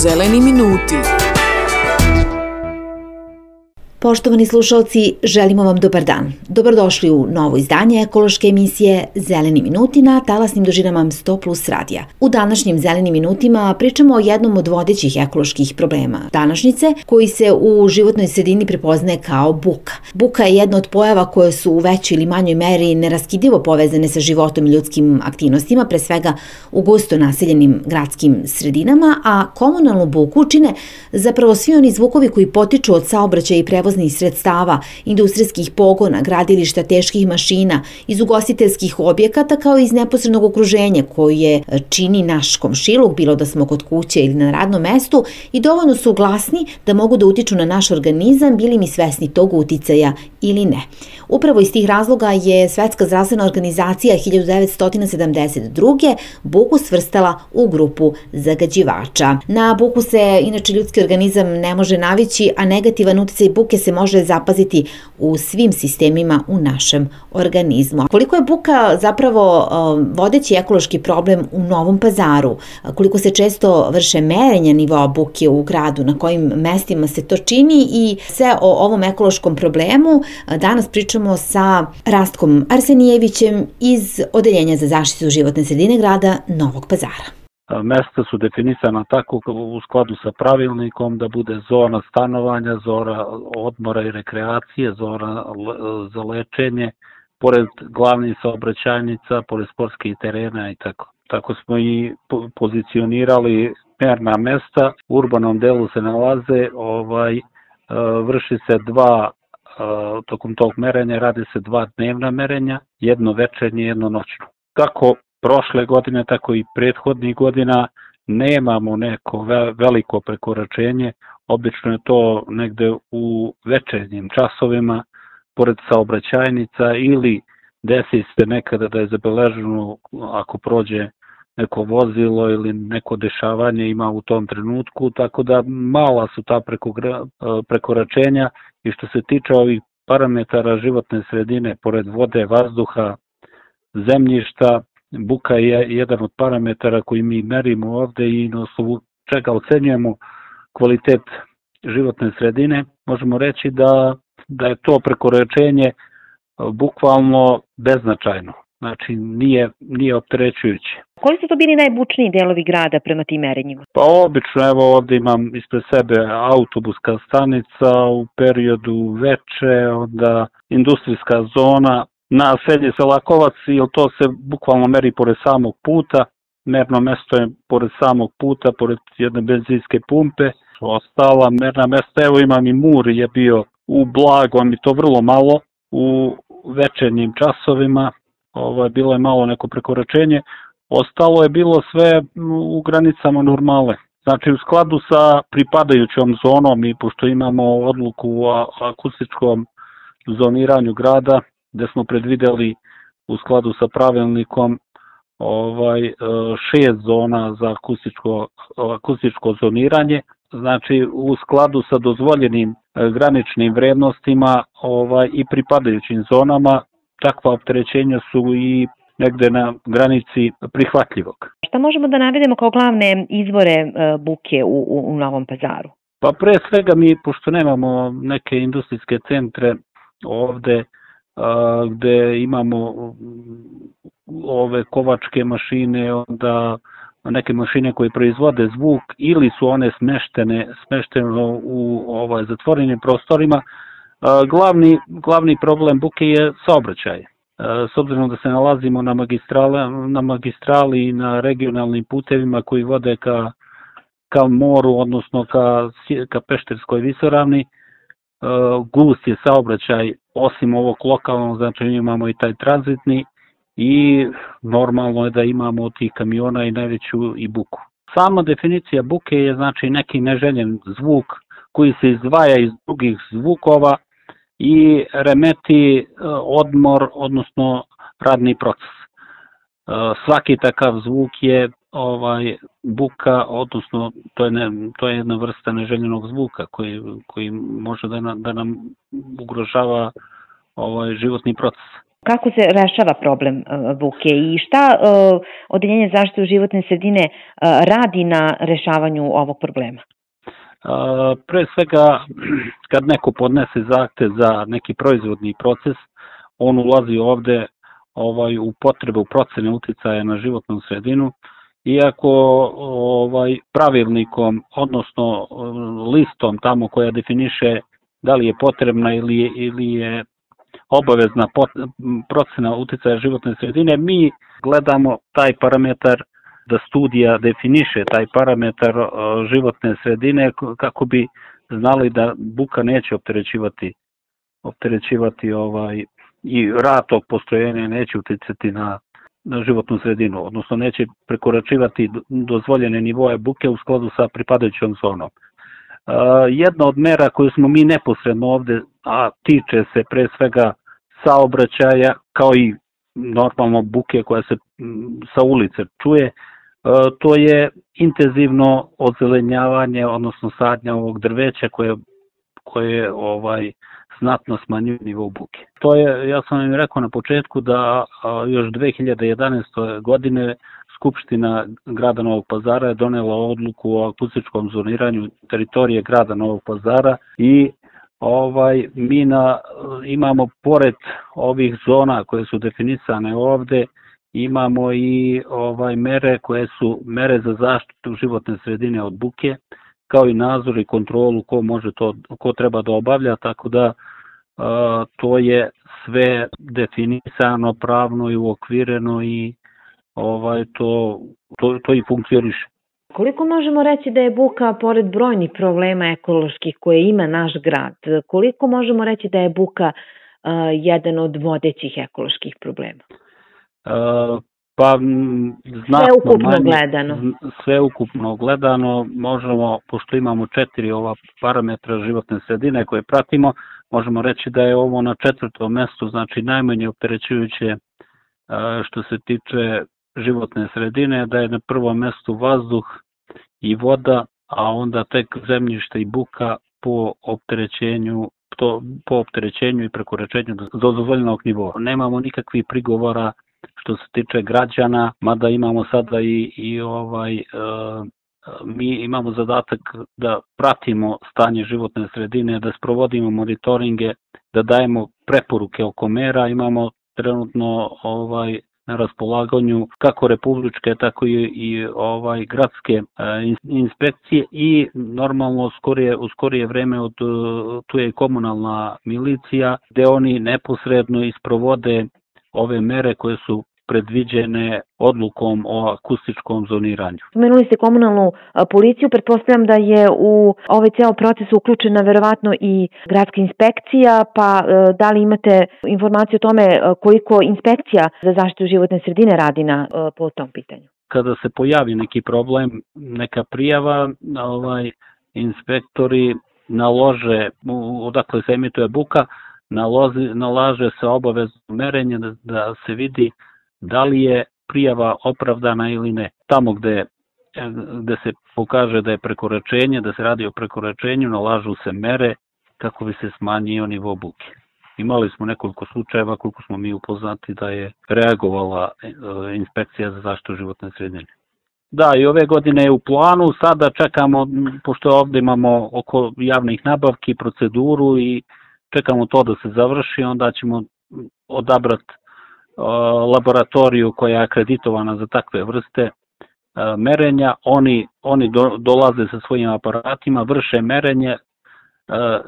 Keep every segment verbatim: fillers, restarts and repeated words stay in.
Zeleni minuti. Poštovani slušalci, želimo vam dobar dan. Dobrodošli u novo izdanje ekološke emisije Zeleni minuti na talasnim dužinama sto plus radija. U današnjim Zelenim minutima pričamo o jednom od vodećih ekoloških problema današnjice, koji se u životnoj sredini prepoznaje kao buka. Buka je jedna od pojava koje su u većoj ili manjoj meri neraskidivo povezane sa životom i ljudskim aktivnostima, pre svega u gusto naseljenim gradskim sredinama, a komunalnu buku čine zapravo svi oni zvukovi koji potiču od saobraćaja i prevoznih sredstava, industrijskih pogona, gradilišta, teških mašina, iz ugostiteljskih objekata kao i iz neposrednog okruženja koje čini naš komšiluk, bilo da smo kod kuće ili na radnom mestu, i dovoljno su glasni da mogu da utiču na naš organizam, bili mi svesni tog uticaja ili ne. Upravo iz tih razloga je Svetska zdravstvena organizacija hiljadu devetsto sedamdeset druge buku svrstala u grupu zagađivača. Na buku se inače ljudski organizam ne može navići, a negativan uticaj buke se može zapaziti u svim sistemima u našem organizmu. Koliko je buka zapravo vodeći ekološki problem u Novom Pazaru, koliko se često vrše merenja nivoa buke u gradu, na kojim mestima se to čini i sve o ovom ekološkom problemu danas pričamo sa Rastkom Arsenijevićem iz Odeljenja za zaštitu životne sredine grada Novog Pazara. Mesta su definisana tako u skladu sa pravilnikom da bude zona stanovanja, zona odmora i rekreacije, zona za lečenje, pored glavnih saobraćajnica, pored sportskih terena i tako. Tako smo i pozicionirali merna mesta. U urbanom delu se nalaze, ovaj, vrši se dva, tokom tog merenja radi se dva dnevna merenja, jedno večernje, jedno noćno. Kako prošle godine, tako i prethodnih godina nemamo neko veliko prekoračenje, obično je to negde u večernjim časovima, pored saobraćajnica ili desi se nekada da je zabeleženo ako prođe neko vozilo ili neko dešavanje ima u tom trenutku, tako da mala su ta prekoračenja. I što se tiče ovih parametara životne sredine, pored vode, vazduha, zemljišta, buka je jedan od parametara koji mi merimo ovde i na osnovu čega ocenjujemo kvalitet životne sredine. Možemo reći da, da je to prekoračenje bukvalno beznačajno, znači nije, nije opterećujuće. Koji su to bili najbučniji delovi grada prema tim merenjima? Pa obično, evo ovde imam ispred sebe autobuska stanica u periodu veče, onda industrijska zona, naselje Selakovac, jer to se bukvalno meri pored samog puta, merno mesto je pored samog puta, pored jedne benzinske pumpe. Ostala merna mesta, evo imam i Mur je bio u blagom i to vrlo malo, u večernjim časovima, ovo, bilo je malo neko prekoračenje, ostalo je bilo sve u granicama normale. Znači u skladu sa pripadajućom zonom i pošto imamo odluku o akustičkom zoniranju grada, gde smo predvideli u skladu sa pravilnikom ovaj, šest zona za akustičko, akustičko zoniranje, znači u skladu sa dozvoljenim graničnim vrednostima ovaj, i pripadajućim zonama, takva opterećenja su i negde na granici prihvatljivog. Šta možemo da navedemo kao glavne izvore buke u, u, u Novom Pazaru? Pa pre svega mi, pošto nemamo neke industrijske centre ovde, gde imamo ove kovačke mašine, onda neke mašine koje proizvode zvuk ili su one smeštene, smeštene u ovaj, zatvorenim prostorima. Glavni, glavni problem buke je saobraćaj. S obzirom da se nalazimo na magistrali, na magistrali i na regionalnim putevima koji vode ka, ka moru, odnosno ka, ka Pešterskoj visoravni, gust je saobraćaj, osim ovog lokalnog, znači imamo i taj tranzitni i normalno je da imamo od tih kamiona i najveću i buku. Sama definicija buke je znači neki neželjen zvuk koji se izdvaja iz drugih zvukova i remeti odmor, odnosno radni proces. Svaki takav zvuk je ovaj buka, odnosno to je, ne, to je jedna vrsta neželjenog zvuka koji, koji može da nam, da nam ugrožava ovaj, životni proces. Kako se rešava problem buke i šta Odeljenje zaštite životne sredine radi na rešavanju ovog problema? Pre svega, kad neko podnese zahtev za neki proizvodni proces, on ulazi ovde ovaj, u potrebu procene uticaja na životnu sredinu, iako ovaj, pravilnikom, odnosno listom tamo koja definiše da li je potrebna ili je, ili je obavezna procena uticaja životne sredine, mi gledamo taj parametar, da studija definiše taj parametar životne sredine kako bi znali da buka neće opterećivati, opterećivati ovaj, i rad tog postrojenja neće uticati na, na životnu sredinu, odnosno neće prekoračivati dozvoljene nivoe buke u skladu sa pripadajućom zonom. Jedna od mera koju smo mi neposredno ovde, a tiče se pre svega saobraćaja, kao i normalno buke koja se sa ulice čuje, to je intenzivno ozelenjavanje, odnosno sadnja ovog drveća koje, koje ovaj, znatno smanjuje nivo buke. To je, ja sam im rekao na početku da još dve hiljade jedanaeste. godine Skupština grada Novog Pazara je donela odluku o akustičkom zoniranju teritorije grada Novog Pazara i ovaj, mi na, imamo pored ovih zona koje su definisane ovde, imamo i ovaj, mere koje su mere za zaštitu životne sredine od buke, kao i nadzor i kontrolu ko može to, ko treba da obavlja, tako da a, to je sve definisano, pravno i uokvireno i ovaj, to, to, to i funkcioniše. Koliko možemo reći da je buka, pored brojnih problema ekoloških koje ima naš grad, koliko možemo reći da je buka uh, jedan od vodećih ekoloških problema? Uh, pa znatno Sveukupno manje, gledano. Sveukupno gledano možemo, pošto imamo četiri ova parametra životne sredine koje pratimo, možemo reći da je ovo na četvrtom mestu, znači najmanje opterećujuće uh, što se tiče životne sredine, da je na prvom mestu vazduh i voda, a onda tek zemljište i buka po opterećenju, to, po opterećenju i prekoračenju do dozvoljenog nivoa. Nemamo nikakvih prigovora što se tiče građana, mada imamo sada i, i ovaj, e, mi imamo zadatak da pratimo stanje životne sredine, da sprovodimo monitoringe, da dajemo preporuke oko mera, imamo trenutno ovaj, na raspolaganju kako republičke, tako i, i ovaj gradske e, inspekcije i normalno skorije, u skorije vreme od, tu je i komunalna milicija, gde oni neposredno isprovode ove mere koje su predviđene odlukom o akustičkom zoniranju. Spomenuli ste komunalnu policiju, pretpostavljam da je u ovaj ceo proces uključena verovatno i gradska inspekcija, pa da li imate informaciju o tome koliko inspekcija za zaštitu životne sredine radi na, po tom pitanju? Kada se pojavi neki problem, neka prijava, ovaj, inspektori nalože, odakle se emituje buka, nalozi, nalaže se obavezno merenje da, da se vidi da li je prijava opravdana ili ne. Tamo gde, gde se pokaže da je prekoračenje, da se radi o prekoračenju, nalažu se mere kako bi se smanjio nivo buke. Imali smo nekoliko slučajeva koliko smo mi upoznati da je reagovala inspekcija za zaštitu životne sredine. Da, i ove godine je u planu, sada čekamo, pošto ovde imamo oko javnih nabavki, proceduru i čekamo to da se završi, onda ćemo odabrati laboratoriju koja je akreditovana za takve vrste merenja. Oni, oni do, dolaze sa svojim aparatima, vrše merenje,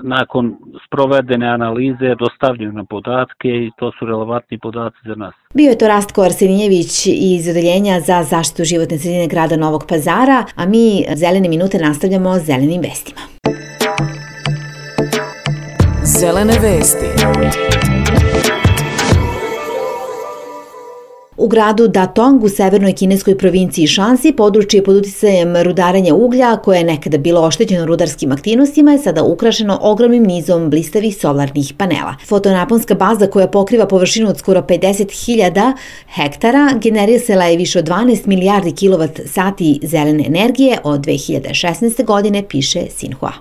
nakon sprovedene analize dostavljaju na podatke i to su relevantni podaci za nas. Bio je to Rastko Arsenjević iz Odeljenja za zaštitu životne sredine grada Novog Pazara, a mi Zelene minute nastavljamo zelenim vestima. Zelene vesti. U gradu Datong u severnoj kineskoj provinciji Šansi područje pod uticajem rudarenja uglja koje je nekada bilo oštećeno rudarskim aktivnostima je sada ukrašeno ogromnim nizom blistavih solarnih panela. Fotonaponska baza koja pokriva površinu od skoro pedeset hiljada hektara generisala je više od dvanaest milijardi kilovat sati zelene energije od dve hiljade šesnaeste. godine, piše Sinhua.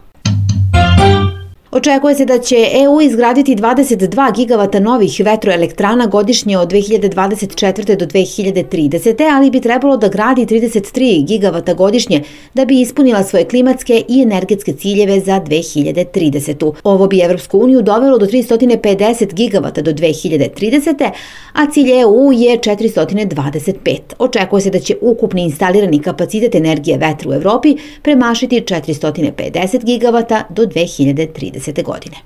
Očekuje se da će E U izgraditi dvadeset dva gigavata novih vetroelektrana godišnje od dve hiljade dvadeset četvrte do dve hiljade tridesete. ali bi trebalo da gradi trideset tri gigavata godišnje da bi ispunila svoje klimatske i energetske ciljeve za dve hiljade tridesetu. Ovo bi Evropsku uniju dovelo do tristo pedeset gigavata do dve hiljade tridesete. a cilj E U je četiristo dvadeset pet. Očekuje se da će ukupni instalirani kapacitet energije vetra u Evropi premašiti četiristo pedeset gigavata do dve hiljade tridesete. godine.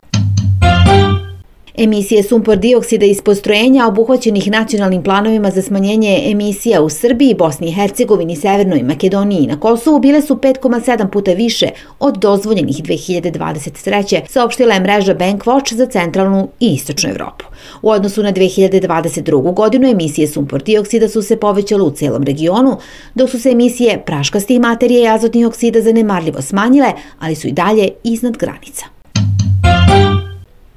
Emisije sumpor dioksida iz postrojenja obuhvaćenih nacionalnim planovima za smanjenje emisija u Srbiji, Bosni i Hercegovini, Severnoj Makedoniji i na Kosovu bile su pet zarez sedam puta više od dozvoljenih dve hiljade dvadeset treće. saopštila je mreža Bankwatch za centralnu i istočnu Evropu. U odnosu na dve hiljade dvadeset drugu. godinu emisije sumpor dioksida su se povećale u celom regionu, dok su se emisije praškastih materija i azotnih oksida zanemarljivo smanjile, ali su i dalje iznad granica.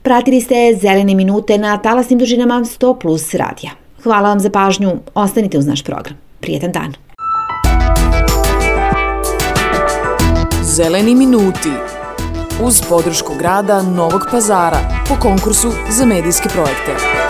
Pratili ste Zelene minute na talasnim dužinama sto plus radija. Hvala vam za pažnju, ostanite uz naš program. Prijetan dan. Zeleni minuti uz podršku grada Novog Pazara po konkursu za medijske projekte.